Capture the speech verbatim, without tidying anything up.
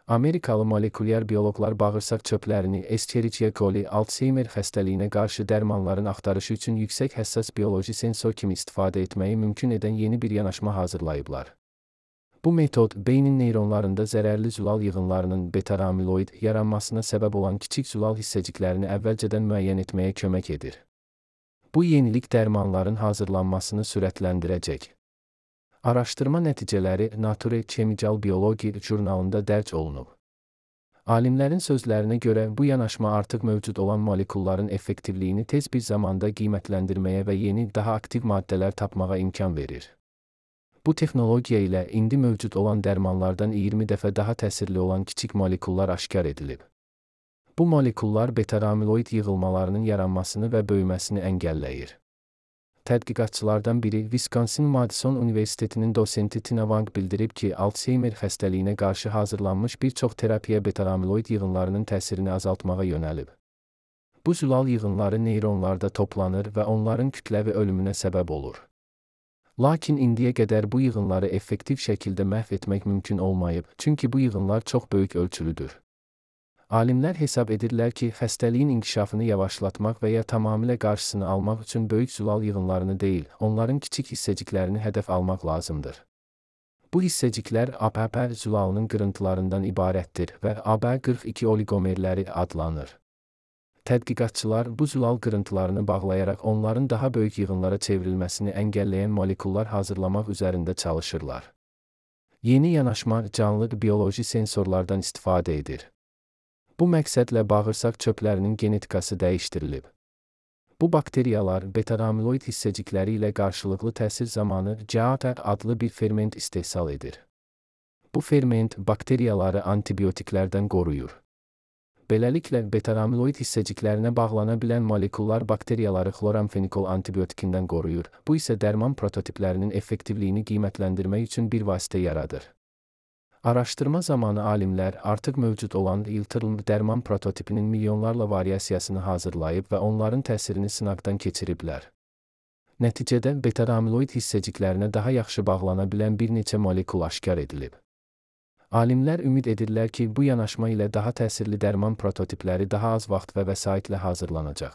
Amerikalı molekulyar bioloqlar bağırsaq çöplərini Escherichia coli, Alzheimer xəstəliyinə qarşı dərmanların axtarışı üçün yüksək həssas bioloji sensor kimi istifadə etməyi mümkün edən yeni bir yanaşma hazırlayıblar. Bu metod, beynin neyronlarında zərərli zülal yığınlarının beta-amiloid yaranmasına səbəb olan kiçik zülal hissəciklərini əvvəlcədən müəyyən etməyə kömək edir. Bu yenilik dərmanların hazırlanmasını sürətləndirəcək. Araşdırma nəticələri Nature Chemical Biology jurnalında dərc olunub. Alimlərin sözlərinə görə bu yanaşma artıq mövcud olan molekulların effektivliyini tez bir zamanda qiymətləndirməyə və yeni, daha aktiv maddələr tapmağa imkan verir. Bu texnologiya ilə indi mövcud olan dərmanlardan iyirmi dəfə daha təsirli olan kiçik molekullar aşkar edilib. Bu molekullar beta-amiloid yığılmalarının yaranmasını və böyüməsini əngəlləyir. Tədqiqatçılardan biri Wisconsin-Madison Universitetinin dosenti Tina Wang bildirib ki, Alzheimer xəstəliyinə qarşı hazırlanmış bir çox terapiya beta-amiloid yığınlarının təsirini azaltmağa yönəlib. Bu zülal yığınları neyronlarda toplanır və onların kütləvi ölümünə səbəb olur. Lakin indiyə qədər bu yığınları effektiv şəkildə məhv etmək mümkün olmayıb, çünki bu yığınlar çox böyük ölçülüdür. Alimlər hesab edirlər ki, xəstəliyin inkişafını yavaşlatmaq və ya tamamilə qarşısını almaq üçün böyük zülal yığınlarını deyil, onların kiçik hissəciklərini hədəf almaq lazımdır. Bu hissəciklər A B P zülalının qırıntılarından ibarətdir və A B qırx iki oligomerləri adlanır. Tədqiqatçılar bu zülal qırıntılarını bağlayaraq onların daha böyük yığınlara çevrilməsini əngəlləyən molekullar hazırlamaq üzərində çalışırlar. Yeni yanaşma canlı bioloji sensorlardan istifadə edir. Bu məqsədlə bağırsaq çöplərinin genetikası dəyişdirilib. Bu bakteriyalar beta-amiloid hissəcikləri ilə qarşılıqlı təsir zamanı C A T adlı bir ferment istehsal edir. Bu ferment bakteriyaları antibiotiklərdən qoruyur. Beləliklə, beta-amiloid hissəciklərinə bağlana bilən molekullar bakteriyaları xloramfenikol antibiotikindən qoruyur. Bu isə dərman prototiplərinin effektivliyini qiymətləndirmək üçün bir vasitə yaradır. Araşdırma zamanı alimlər artıq mövcud olan Iltrim dərman prototipinin milyonlarla variasiyasını hazırlayıb və onların təsirini sınaqdan keçiriblər. Nəticədə beta-amiloid hissəciklərinə daha yaxşı bağlana bilən bir neçə molekul aşkar edilib. Alimlər ümid edirlər ki, bu yanaşma ilə daha təsirli dərman prototipləri daha az vaxt və vəsaitlə hazırlanacaq.